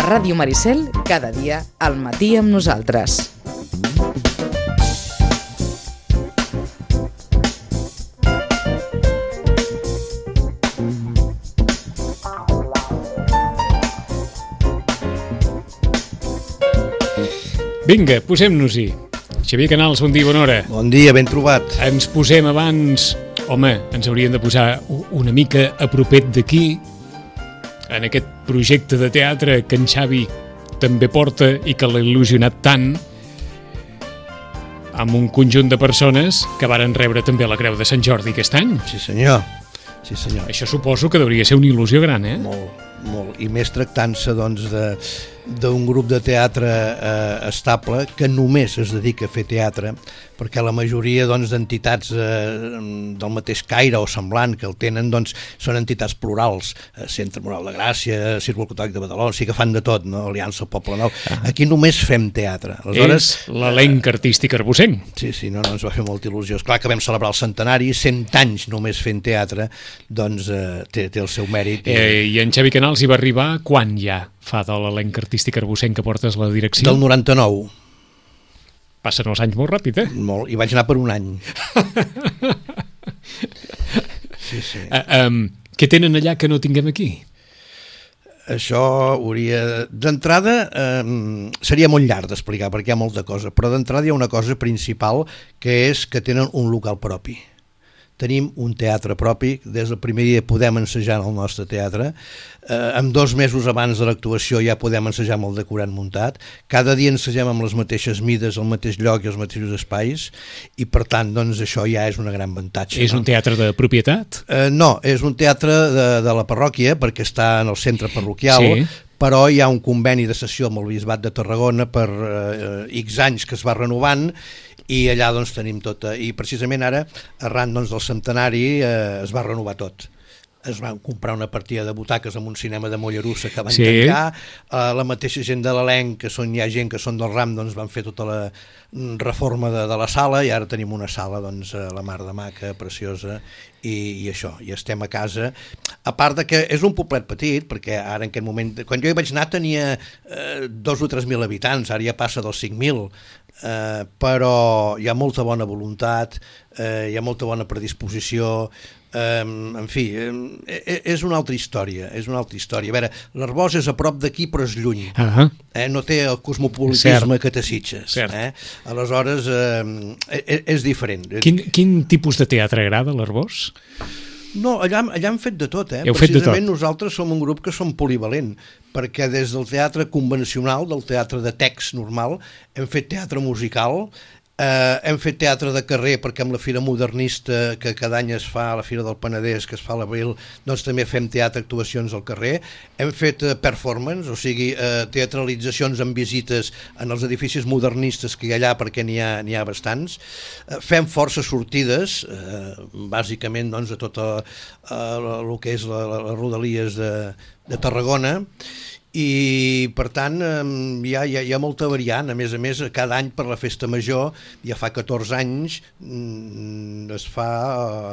Ràdio Maricel, cada dia al matí amb nosaltres. Vinga, posem-nos-hi. Xavier Canals, bon dia, bona hora. Bon dia, ben trobat. Ens posem abans... Home, ens hauríem de posar una mica a propet d'aquí, en aquest projecte de teatre que en Xavi també porta i que l'ha il·lusionat tant, amb un conjunt de persones que varen rebre també la Creu de Sant Jordi aquest any. Sí, senyor. Sí, senyor. Això suposo que hauria ser una il·lusió gran, eh? Molt, molt. I més tractant-se, doncs, d'un grup de teatre estable que només es dedica a fer teatre, perquè la majoria, doncs, d'entitats del mateix caire o semblant que el tenen, doncs, són entitats plurals. Centre Moral de Gràcia, Círculo Catòlic de Badalona, sí que fan de tot, no? Aliança Poble Nou. Aquí només fem teatre. Aleshores, és l'elenc artístic arbocenc. Sí, no, ens va fer molta il·lusió. Esclar que vam celebrar el centenari, 100 anys només fent teatre, doncs té el seu mèrit. I en Xavi Canals hi va arribar quan ja fa de l'elenc artístic arbocenc que portes la direcció? Del 99. Passen els anys molt ràpid, eh? Molt, i vaig anar per un any. Sí. Què tenen allà que no tinguem aquí? Això hauria... D'entrada, seria molt llarg d'explicar perquè hi ha molta cosa, però d'entrada hi ha una cosa principal que és que tenen un local propi. Tenim un teatre propi, des del primer dia podem ensejar en el nostre teatre, amb 2 mesos abans de l'actuació ja podem ensejar amb el decorat muntat, cada dia ensegem amb les mateixes mides, al mateix lloc i els mateixos espais, i per tant, doncs, això ja és un gran avantatge. És un teatre de propietat? No, és un teatre de la parròquia, perquè està en el centre parroquial, sí. Però hi ha un conveni de cessió amb el Bisbat de Tarragona per X anys que es va renovant, i allà doncs tenim tot, i precisament ara arran doncs, del centenari es va renovar tot. Es van comprar una partida de butaques en un cinema de Mollerussa que van tancar, la mateixa gent de l'elenc, que hi ha gent que són del RAM, doncs van fer tota la reforma de la sala, i ara tenim una sala doncs, la mar de maca, preciosa, i això, i estem a casa, a part de que és un poblet petit, perquè ara en aquest moment, quan jo hi vaig anar tenia 2 o 3 mil habitants, ara ja passa dels 5.000, però hi ha molta bona voluntat, hi ha molta bona predisposició, en fi, és una altra història, A veure, l'Arboç és a prop d'aquí però és lluny, no té el cosmopolitisme que té Sitges, aleshores és diferent. Quin tipus de teatre agrada l'Arboç? No, allà hem fet de tot, Precisament nosaltres som un grup que som polivalent, perquè des del teatre convencional, del teatre de text normal, hem fet teatre musical, hem fet teatre de carrer, perquè amb la Fira Modernista que cada any es fa, a la Fira del Penedès, que es fa a l'abril, doncs també fem teatre, actuacions al carrer, hem fet performance, o sigui, teatralitzacions amb visites en els edificis modernistes que hi ha allà, perquè n'hi ha bastants, fem forces sortides, bàsicament doncs, a tot el que és les rodalies de Tarragona, i per tant hi ha molta variant. A més, cada any per la Festa Major, ja fa 14 anys, es fa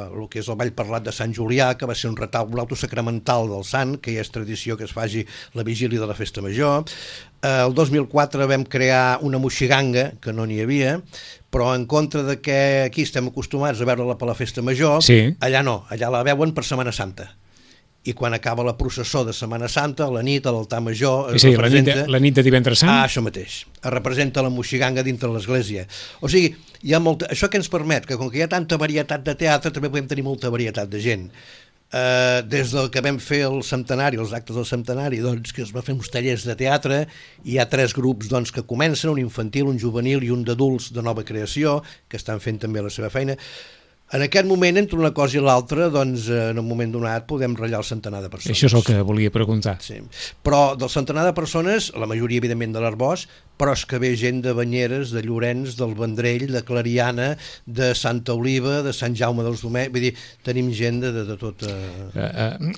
el que és el Ball Parlat de Sant Julià, que va ser un retaule autosacramental del sant, que ja és tradició que es faci la vigília de la Festa Major. El 2004 vam crear una moixiganga, que no n'hi havia, però en contra de que aquí estem acostumats a veure-la per la Festa Major, allà no, allà la veuen per Setmana Santa. I quan acaba la processó de Setmana Santa, la nit, a l'altar major... la nit de Divendres Sant? Això mateix. Es representa la moixiganga dintre l'església. O sigui, hi ha molta... Això que ens permet, que com que hi ha tanta varietat de teatre, també podem tenir molta varietat de gent. Des del que vam fer el centenari, els actes del centenari, doncs, que es va fer uns tallers de teatre, hi ha 3 grups doncs, que comencen, un infantil, un juvenil i un d'adults de nova creació, que estan fent també la seva feina. En aquest moment, entre una cosa i l'altra, doncs, en un moment donat podem ratllar el centenar de persones. Això és el que volia preguntar. Sí. Però del centenar de persones, la majoria, evidentment, de l'Arboç, però és que ve gent de Banyeres, de Llorenç, del Vendrell, de Clariana, de Santa Oliva, de Sant Jaume dels Domenys, vull dir, tenim gent de tot...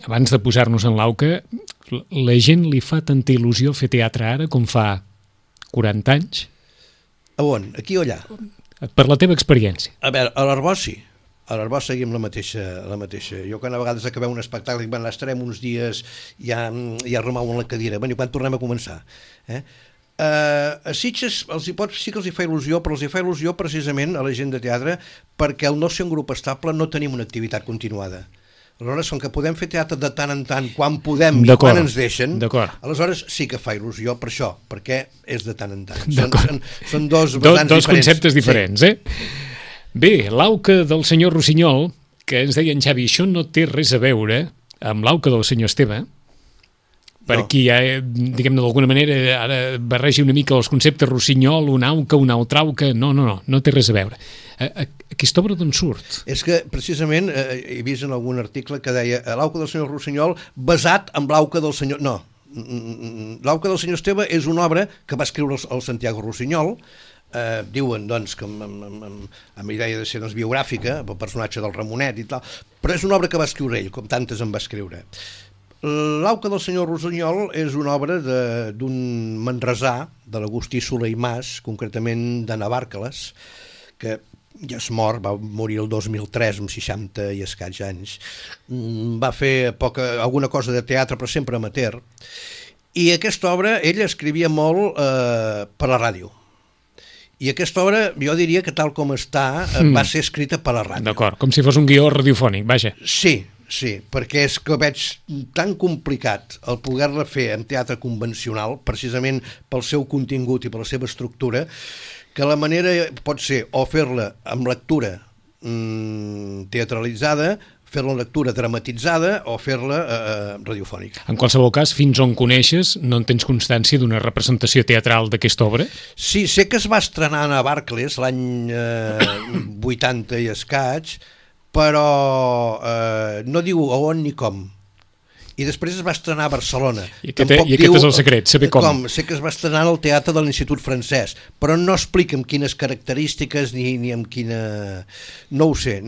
Abans de posar-nos en l'auca, la gent li fa tanta il·lusió fer teatre ara com fa 40 anys? A on? Aquí o allà? Per la teva experiència. A veure, a l'Arboç sí. A l'Arbós seguim la mateixa. Jo quan a vegades acabem un espectacle dic, estarem uns dies ja remou en la cadira, quan tornem a començar? A Sitges sí que els hi fa il·lusió, però els hi fa il·lusió precisament a la gent de teatre perquè al no ser un grup estable no tenim una activitat continuada. Aleshores, com que podem fer teatre de tant en tant, quan podem i quan ens deixen, aleshores sí que fa il·lusió per això, perquè és de tant en tant. Són dos conceptes diferents, eh? Bé, l'auca del senyor Rossinyol, que ens deia en Xavi, això no té res a veure amb l'auca del senyor Esteve, perquè ja, diguem-ne, d'alguna manera, ara barreja una mica els conceptes Rossinyol, una auca, una altra auca, no té res a veure. Aquesta obra d'on surt? És que, precisament, he vist en algun article que deia l'auca del senyor Rossinyol basat en l'auca del senyor... No, l'auca del senyor Esteve és una obra que va escriure el Santiago Rossinyol. Diuen doncs que amb idea de ser biogràfica, el personatge del Ramonet i tal, però és una obra que va escriure ell, com tantes en va escriure. L'auca del senyor Rossinyol és una obra d'un manresà, de l'Agustí Soler i Mas, concretament de Navarcles, que ja és mort, va morir el 2003 amb 60 i escaig anys. Va fer alguna cosa de teatre, però sempre amateur, i aquesta obra ell escrivia molt per la ràdio. I aquesta obra, jo diria que tal com està, va ser escrita per la ràdio. D'acord, com si fos un guió radiofònic, vaja. Sí, perquè és que veig tan complicat el poder-la fer en teatre convencional, precisament pel seu contingut i per la seva estructura, que la manera pot ser o fer-la amb lectura teatralitzada, fer-la en lectura dramatitzada o fer-la radiofònica. En qualsevol cas, fins on coneixes, no en tens constància d'una representació teatral d'aquesta obra? Sí, sé que es va estrenar a Navarcles l'any 80 i escaig, però no diu a on ni com. I després es va estrenar a Barcelona. I aquest és el secret, saber com. Sé que es va estrenar al Teatre de l'Institut Francès, però no explica amb quines característiques ni amb quina... No ho sé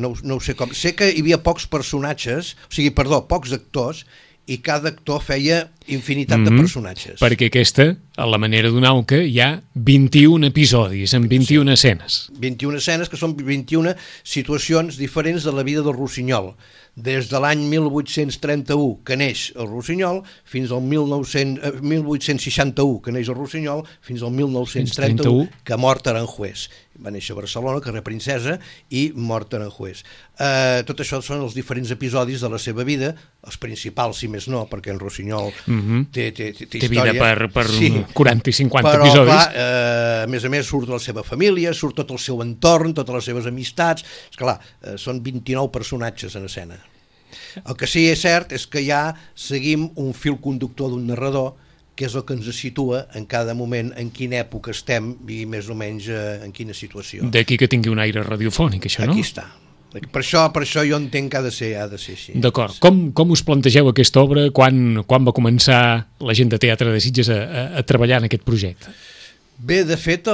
com. Sé que hi havia pocs pocs actors, i cada actor feia infinitat de personatges. Perquè aquesta, a la manera d'una auca, hi ha 21 episodis, amb 21 escenes. 21 escenes, que són 21 situacions diferents de la vida del Rossinyol. Des de l'any 1831, que neix el Rossinyol, fins al 1861, que neix el Rossinyol, fins al 1931, que mort Aranjuez. Va néixer a Barcelona, carrer Princesa, i mort Aranjuez. Tot això són els diferents episodis de la seva vida, els principals, si més no, perquè en Rossinyol té història. Té vida per 40 i 50 però, episodis. Clar, a més, surt la seva família, surt tot el seu entorn, totes les seves amistats. Esclar, són 29 personatges en escena. El que sí que és cert és que ja seguim un fil conductor d'un narrador, que és el que ens situa en cada moment, en quina època estem i més o menys en quina situació. D'aquí que tingui un aire radiofònic, això, no? Aquí està. Per això jo entenc que ha de ser així. D'acord. Com us plantegeu aquesta obra? Quan va començar la gent de Teatre de Sitges a treballar en aquest projecte? Bé, de fet,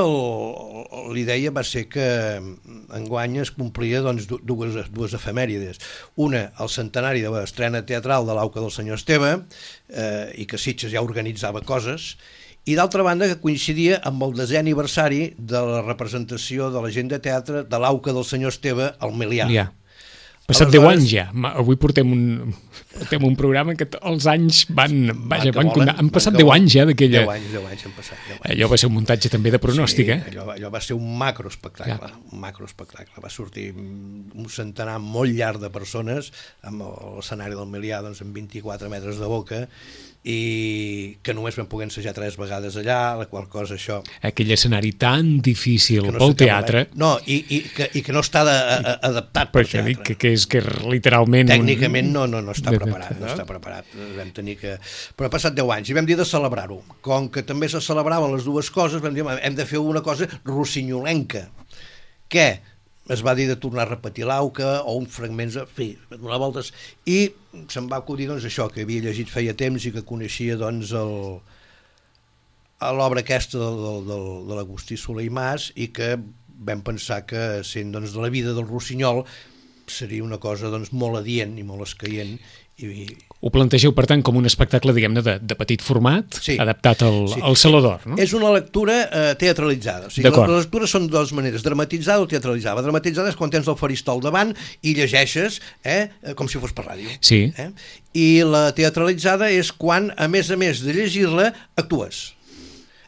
l'idea va ser que enguany es complia dues efemèrides. Una, el centenari de l'estrena teatral de l'auca del senyor Esteve, i que Sitges ja organitzava coses, i d'altra banda que coincidia amb el 10è aniversari de la representació de la gent de teatre de l'auca del senyor Esteve al Melià. Passat 10 anys ja. Avui portem un programa que els anys han passat 10 anys ja d'aquella... 10 anys han passat. 10 anys. Allò va ser un muntatge també de pronòstic, Allò va ser un macroespectacle. Va sortir un centenar molt llarg de persones amb l'escenari del Melià amb 24 metres de boca, i que només vam poder ensejar 3 vegades allà, la qual cosa això... Aquell escenari tan difícil pel teatre... No, i que no està adaptat pel teatre. Per això dic que literalment... Tècnicament no està preparat, no està preparat. Vam tenir que... Però ha passat 10 anys i vam dir de celebrar-ho. Com que també se celebraven les dues coses, vam dir hem de fer una cosa rossinyolenca. Què? Es va dir de tornar a repetir l'auca o uns fragments, en fi, donar voltes, i se'm va acudir això, que havia llegit feia temps i que coneixia l'obra aquesta de l'Agustí Soler i Mas, i que vam pensar que sent de la vida del Rossinyol seria una cosa molt adient i molt escaient, Ho plantegeu, per tant, com un espectacle, diguem-ne, de petit format, sí, adaptat al Saló d'Or, no? És una lectura teatralitzada. O sigui, les lectures són de dues maneres, dramatitzada o teatralitzada. La dramatitzada és quan tens el faristol davant i llegeixes com si fos per ràdio. Sí. I la teatralitzada és quan, a més de llegir-la, actues.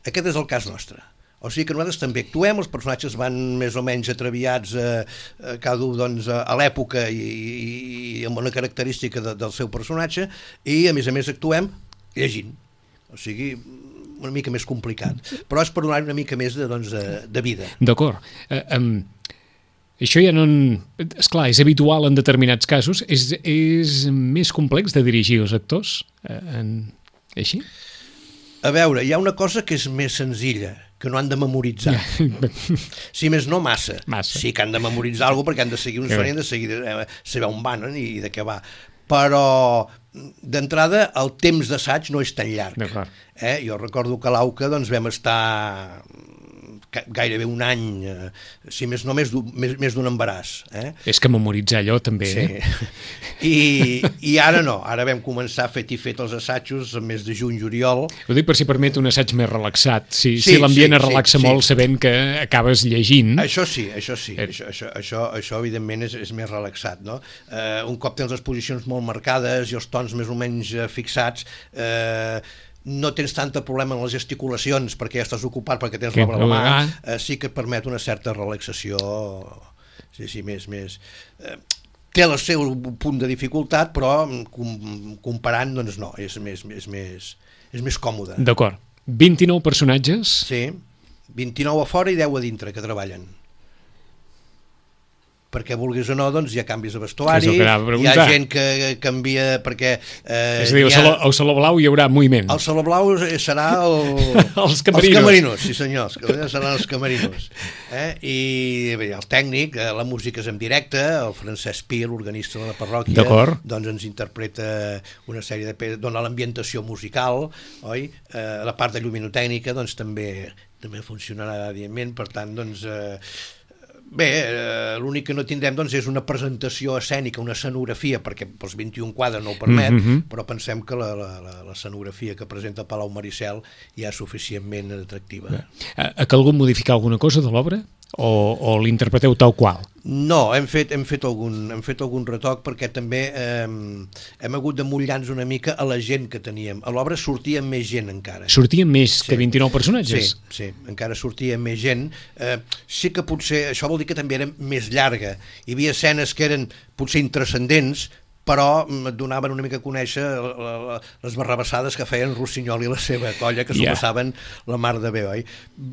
Aquest és el cas nostre. O sigui que nosaltres també actuem, els personatges van més o menys atraviats cada un doncs, a l'època i amb una característica del seu personatge, i a més actuem llegint. O sigui, una mica més complicat. Però és per donar una mica més de vida. D'acord. Això ja no... Esclar, és habitual en determinats casos. És més complex de dirigir els actors? Així? A veure, hi ha una cosa que és més senzilla, que no han de memoritzar. Si més no, massa. Sí que han de memoritzar alguna cosa perquè han de seguir un son i han de seguir saber on van i de què va. Però, d'entrada, el temps d'assaig no és tan llarg. Jo recordo que a l'AUCA vam estar gairebé un any, si més no, més d'un embaràs. És que memoritzar allò també... Sí. I ara no, ara vam començar fet els assajos el mes de juny-juliol. Ho dic per si permet un assaig més relaxat, si l'ambient es relaxa molt sabent que acabes llegint. Això sí, això evidentment és més relaxat, no? Un cop tens les posicions molt marcades i els tons més o menys fixats, no tens tant problema en les gesticulacions perquè ja estàs ocupat, perquè tens l'obra a la mà, sí que et permet una certa relaxació, més... Té el seu punt de dificultat, però comparant, doncs no, és més còmode. D'acord. 29 personatges? Sí, 29 a fora i 10 a dintre que treballen. Perquè vulguis o no, doncs hi ha canvis de vestuari, hi ha gent que canvia perquè... És a dir, al Saló Blau hi haurà moviment. Al Saló Blau serà els camerinos. Sí senyor, seran els camerinos. I bé, el tècnic, la música és en directe, el Francesc Pi, l'organista de la parròquia, doncs ens interpreta una sèrie de... dona l'ambientació musical, oi? La part de lluminotècnica doncs també funcionarà evidentment, per tant, doncs... Bé, l'únic que no tindrem doncs, és una presentació escènica, una escenografia, perquè els 21 quadres no ho permet, però pensem que l'escenografia que presenta Palau Maricel ja és suficientment atractiva. Ha calgut modificar alguna cosa de l'obra? O l'interpreteu tal qual? No, hem fet algun retoc perquè també hem hagut de mullar-nos una mica a la gent que teníem. A l'obra sortia més gent encara. Sortia més que 29 personatges? Sí, encara sortia més gent. Sí que potser, això vol dir que també era més llarga. Hi havia escenes que eren potser intranscendents, però donaven una mica a conèixer les barrabassades que feien Rossinyol i la seva colla, que s'ho passaven la mar de bé, oi?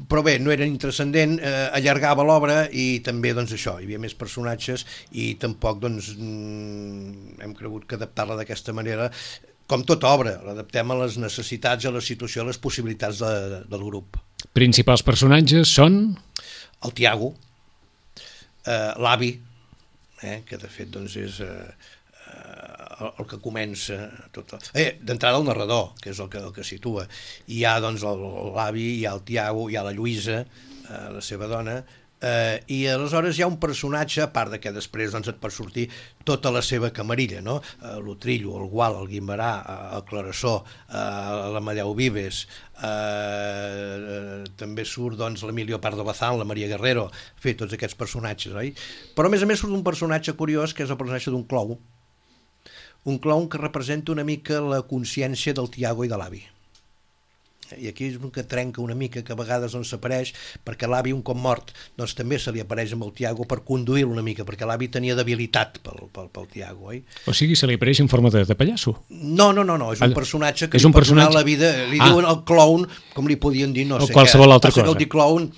Però bé, no eren intranscendent, allargava l'obra i també, doncs això, hi havia més personatges i tampoc, doncs, hem cregut que adaptar-la d'aquesta manera, com tota obra, l'adaptem a les necessitats, a la situació, a les possibilitats del grup. Principals personatges són? El Tiago, l'avi, que de fet, doncs, és... el que comença tot. D'entrada el narrador, que és el que situa. Hi ha doncs l'avi, hi ha el Tiago, hi ha la Lluïsa, la seva dona, i aleshores hi ha un personatge, a part de que després doncs, et pot sortir tota la seva camarilla, no? L'Utrillo, el Gual, el Guimerà, el Clarasó, l'Amadeu Vives, també surt doncs, l'Emilio Pardo Bazán, la Maria Guerrero, tots aquests personatges, oi? Però a més surt un personatge curiós, que és el personatge d'un clown, que representa una mica la consciència del Tiago i de l'avi. I aquí és un que trenca una mica, que a vegades doncs, s'apareix, perquè l'avi, un cop mort, doncs també se li apareix amb el Tiago per conduir-lo una mica, perquè l'avi tenia debilitat pel Tiago, oi? O sigui, se li apareix en forma de pallasso? No, és un personatge que li pot donar la vida, li diuen el clown, com li podien dir, no sé què. O qualsevol altra cosa. Que el dir clown,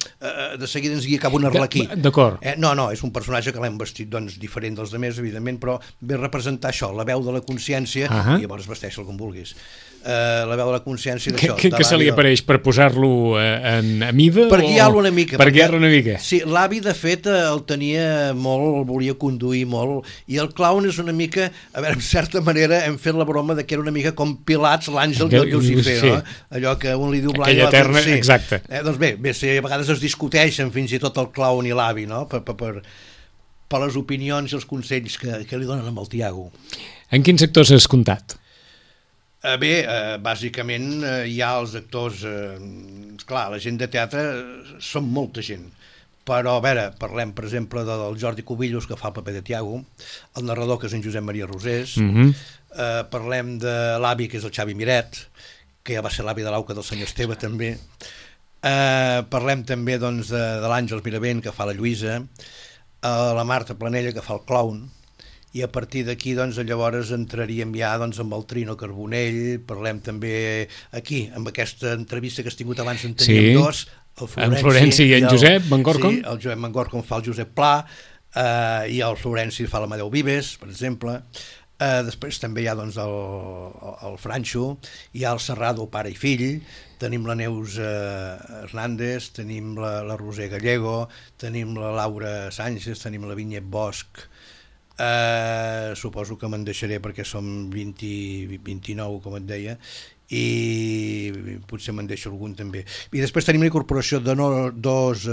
de seguida ens guia cap un arlequí. D'acord. No, és un personatge que l'hem vestit doncs, diferent dels demés, evidentment, però ve a representar això, la veu de la consciència, i llavors vesteix-el com vulguis. La veu de la consciència d'això. Que se li apareix per posar-lo a mida? Per guiar-lo una mica. Per guiar-lo una mica. Sí, l'avi de fet el tenia molt, el volia conduir molt, i el clown és una mica, a veure, en certa manera hem fet la broma de que era una mica com Pilats, l'àngel del Lucifer, no? Allò que un li diu blanc... Aquella eterna, exacte. Doncs bé, a vegades es discuteixen fins i tot el clown i l'avi, no? per les opinions i els consells que li donen amb el Tiago. En quins actors has comptat? Bé, bàsicament hi ha els actors... Clar, la gent de teatre són molta gent, però a veure, parlem per exemple del Jordi Cubillos, que fa el paper de Tiago, el narrador, que és en Josep Maria Rosés, parlem de l'avi, que és el Xavi Miret, que ja va ser l'avi de l'Auca del senyor Esteve també, parlem també doncs, de l'Àngels Miravent, que fa la Lluïsa, la Marta Planella, que fa el clown, i a partir d'aquí doncs, llavors entraríem ja doncs, amb el Trino Carbonell, parlem també aquí, amb aquesta entrevista que has tingut abans, en teníem dos, en Florenci i en Josep Mangorcom. Sí, el Josep Mangorcom fa el Josep Pla, i el Florenci fa l'Amadeu Vives, per exemple. Després també hi ha doncs, el Franxo, hi ha el Serrado, pare i fill, tenim la Neus Hernández, tenim la Roser Gallego, tenim la Laura Sánchez, tenim la Vinyet Bosch, suposo que me'n deixaré perquè som 29, com et deia, i potser me'n deixo algun també. I després tenim la incorporació de dos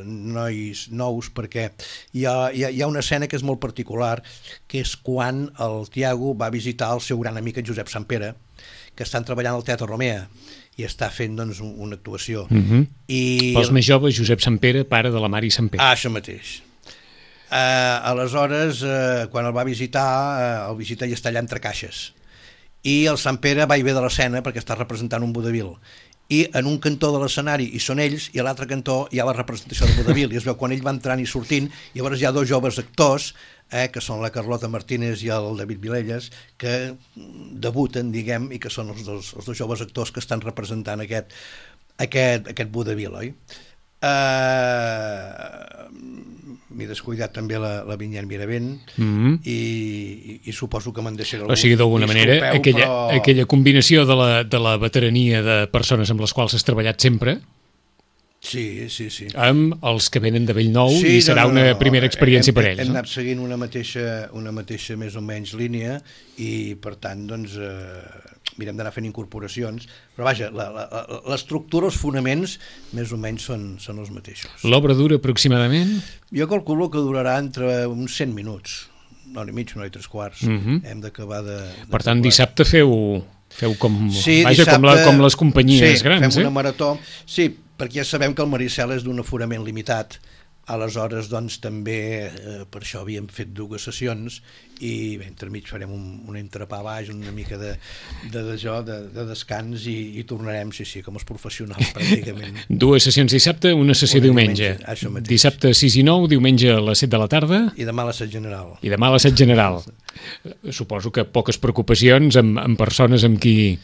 nois nous, perquè hi ha una escena que és molt particular, que és quan el Tiago va visitar el seu gran amic, en Josep Sampere, que estan treballant al Teatre Romea i està fent doncs, una actuació. Pels més joves, Josep Sampere, pare de la Mari Sampere. Això mateix. Aleshores, quan el va visitar, el visita i està allà entre caixes. I el Sant Pere va i ve de l'escena perquè està representant un vodevil. I en un cantó de l'escenari hi són ells i a l'altre cantó hi ha la representació del vodevil. I es veu quan ell va entrant i sortint, i llavors hi ha dos joves actors, que són la Carlota Martínez i el David Vilelles, que debuten, diguem, i que són els dos joves actors que estan representant aquest vodevil, oi? M'he descuidat també la Vinyet Miravent, i suposo que me'n deixaré algun. O sigui, d'alguna manera, aquella combinació de la veterania de persones amb les quals has treballat sempre, sí, amb els que venen de Bellnou, i serà una primera experiència per ells. Hem anat seguint una mateixa més o menys línia, i per tant doncs mirem d'anar fent incorporacions, però vaja, l'estructura, els fonaments més o menys són els mateixos. L'obra dura aproximadament? Jo calculo que durarà entre uns 100 minuts, una hora i mig, una hora i 3/4. Hem d'acabar de... Per tant, dissabte feu com les companyies grans, fem una marató. Sí, perquè ja sabem que el Maricel és d'un aforament limitat, aleshores doncs també per això havíem fet 2 sessions, i bé, entremig farem un entrepà baix, una mica de descans, i tornarem, sí, com els professionals pràcticament. 2 sessions dissabte, una sessió diumenge. Dissabte 6 i 9, diumenge a les 7 de la tarda. I demà a l'assaig general. Suposo que poques preocupacions amb persones amb qui...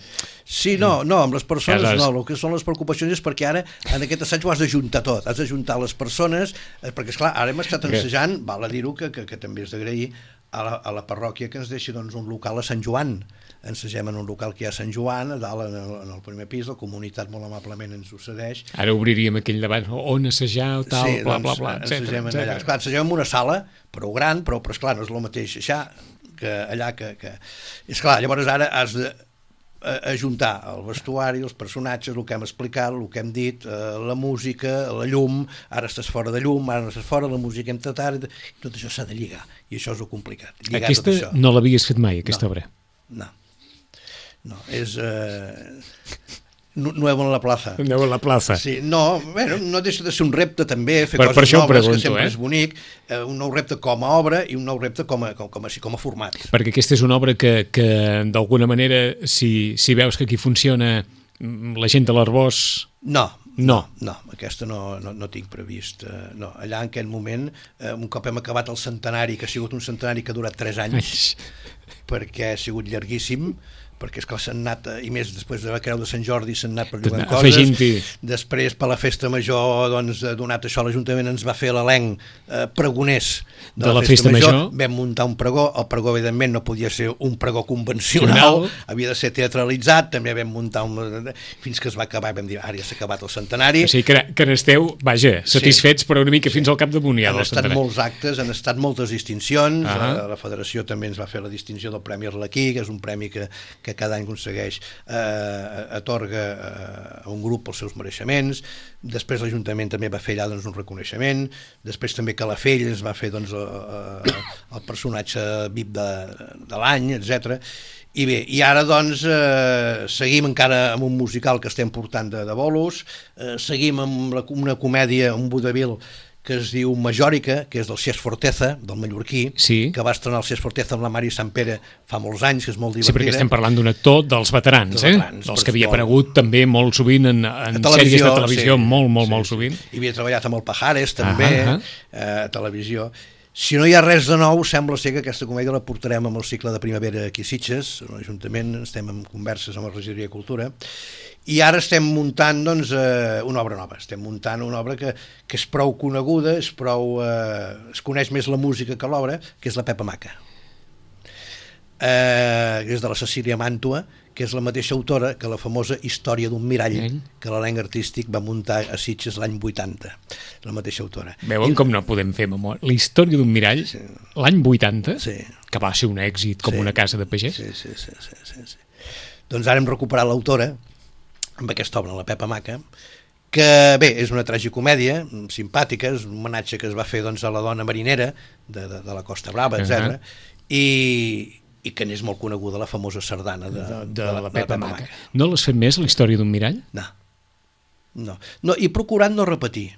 Sí, no, amb les persones no, el que són les preocupacions és perquè ara en aquest assaig ho has d'ajuntar tot, has d'ajuntar les persones, perquè esclar, ara hem estat ensejant, val a dir-ho que també és d'agrair a la parròquia que ens deixi doncs, un local a Sant Joan. Ensegem en un local que hi ha a Sant Joan, a dalt en el primer pis, la comunitat molt amablement ens ho cedeix. Ara obriríem aquell debat, on assajar o tal, sí, bla, bla, bla, ensegem allà. Esclar, ensegem en una sala, prou gran, però esclar, no és el mateix això que allà que... Esclar, llavors ara has de ajuntar el vestuari, els personatges, el que hem explicat, el que hem dit, la música, la llum, ara estàs fora de llum, ara no estàs fora, la música hem tratat, tot això s'ha de lligar, i això és el complicat. Aquesta no l'havies fet mai, aquesta obra? No, és... Nuevo en la plaza. Nuevo en la plaza. Sí, no deixa de ser un repte també, fer coses noves, que sempre és bonic, un nou repte com a obra i un nou repte com a format. Perquè aquesta és una obra que d'alguna manera, si veus que aquí funciona la gent de l'Arbós... No, aquesta no tinc previst. No, allà en aquest moment, un cop hem acabat el centenari, que ha sigut un centenari que ha durat 3 anys, perquè ha sigut llarguíssim, perquè és que s'han anat, i més després de la Creu de Sant Jordi s'han anat perllugant coses, després per la festa major doncs, donat això l'Ajuntament ens va fer l'elenc pregoners de la festa major, vam muntar un pregó, el pregó evidentment no podia ser un pregó convencional, havia de ser teatralitzat, també vam muntar fins que es va acabar, vam dir, ara ja s'ha acabat el centenari. O sigui que n'esteu, vaja, satisfets però una mica fins al cap damunt ja. Han estat molts actes, han estat moltes distincions, la Federació també ens va fer la distinció del Premi Arlequí, que és un premi que que cada any aconsegueix, atorga a un grup els seus mereixements. Després l'Ajuntament també va fer allà un reconeixement. Després també Calafell ens va fer el personatge VIP de l'any, etc. I bé, i ara seguim encara amb un musical que estem portant de bolos, seguim amb una comèdia, un vodevil que es diu Majòrica, que és del Cesc Forteza, del mallorquí, que va estrenar el Cesc Forteza amb la Mari Sampere fa molts anys, que és molt divertida. Sí, perquè estem parlant d'un actor dels veterans, dels que havia aparegut també molt sovint en sèries de televisió, molt sovint. I havia treballat amb el Pajares, també, a televisió. Si no hi ha res de nou, sembla ser que aquesta comèdia la portarem amb el cicle de primavera aquí a Sitges, a l'Ajuntament, estem en converses amb la Regidoria de Cultura, i ara estem muntant una obra nova, estem muntant una obra que és prou coneguda, es coneix més la música que l'obra, que és la Pepa Maca, que és de la Cecília Màntua, que és la mateixa autora que la famosa Història d'un mirall, que l'elenc artístic va muntar a Sitges l'any 80, la mateixa autora. Veuen com no podem fer memòria? La Història d'un mirall, l'any 80, que va ser un èxit com una casa de pagès? Sí. Doncs ara hem recuperat l'autora amb aquesta obra, la Pepa Maca, que bé, és una tragicomèdia simpàtica, és un homenatge que es va fer a la dona marinera de la Costa Brava, etc. I que n'és molt coneguda la famosa sardana de la Pepa Maca. No l'has fet més, la Història d'un mirall? No, he procurat no repetir.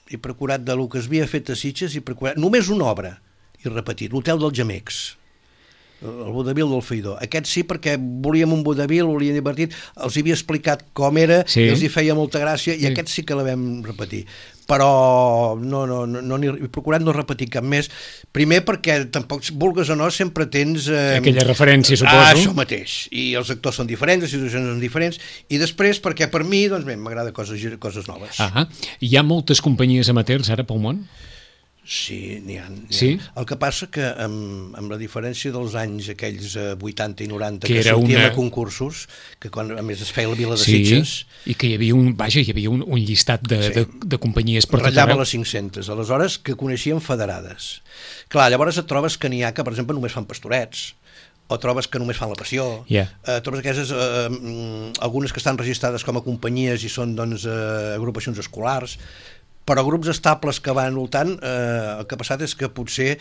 He procurat del que es havia fet a Sitges, només una obra, i repetir, l'Hotel dels Gemecs, el vodevil del Feidó. Aquest sí, perquè volíem un vodevil, volíem divertit, els havia explicat com era, i els hi feia molta gràcia, i aquest sí que la vam repetir. Però he procurat no repetir cap més, primer perquè tampoc, vulgues o no, sempre tens aquella referència, suposo. Això mateix, i els actors són diferents, les situacions són diferents, i després perquè per mi m'agrada coses noves. Hi ha moltes companyies amateurs ara pel món? Sí, n'hi ha. Sí? El que passa que amb la diferència dels anys aquells 80 i 90 que sortíem a concursos, que quan a més es feia la Vila de Sitges, i que hi havia un llistat de companyies per tot arreu. Ratllava les 500, aleshores que coneixíem federades. Clar, llavors et trobes que n'hi ha que, per exemple, només fan pastorets, o trobes que només fan la passió, trobes aquestes, algunes que estan registrades com a companyies i són agrupacions escolars, però grups estables que van voltant, el que ha passat és que potser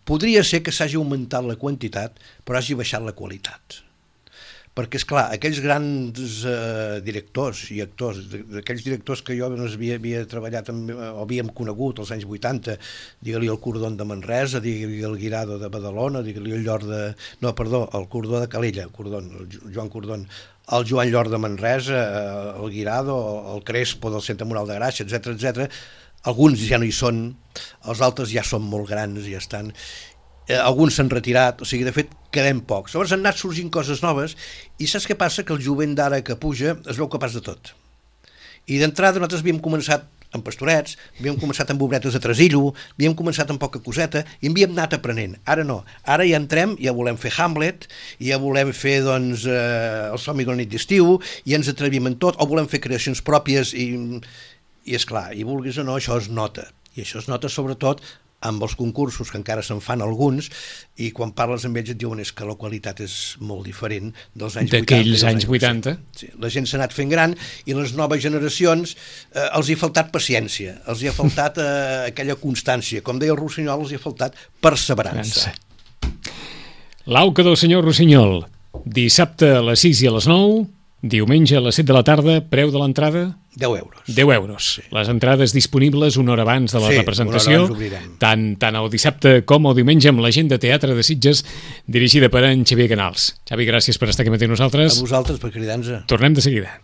podria ser que s'hagi augmentat la quantitat, però hagi baixat la qualitat. Perquè, esclar, aquells grans directors i actors, aquells directors que jo havia treballat o havíem conegut als anys 80, digue-li el Cordon de Manresa, digue-li el Guirado de Badalona, digue-li el el Cordó de Calella, el Joan Cordon, el Joan Llor de Manresa, el Guirado, el Crespo del Centre Moral de Gràcia, etc. Alguns ja no hi són, els altres ja són molt grans, ja estan, alguns s'han retirat, o sigui, de fet, quedem pocs. Llavors han anat sorgint coses noves, i saps què passa? Que el jovent d'ara que puja es veu capaç de tot. I d'entrada nosaltres havíem començat amb pastorets, havíem començat amb obretes de Tresillo, havíem començat amb poca coseta i havíem anat aprenent. Ara no, ara ja entrem, ja volem fer Hamlet, ja volem fer el Somni de la nit d'estiu, i ens atrevim en tot, o volem fer creacions pròpies i esclar, i vulguis o no, això es nota. I això es nota sobretot amb els concursos, que encara se'n fan alguns, i quan parles amb ells et diuen que la qualitat és molt diferent dels anys 80. D'aquells anys 80. Sí, la gent s'ha anat fent gran i les noves generacions els hi ha faltat paciència, els hi ha faltat aquella constància. Com deia el Rossinyol, els hi ha faltat perseverança. L'auca del senyor Rossinyol, dissabte a les 6 i a les 9, diumenge a les 7 de la tarda, preu de l'entrada? 10 euros. 10 euros. Sí. Les entrades disponibles una hora abans de la representació, tant el dissabte com el diumenge, amb la gent de Teatre de Sitges, dirigida per en Xavier Canals. Xavi, gràcies per estar aquí amb nosaltres. A vosaltres per cridar-nos. Tornem de seguida.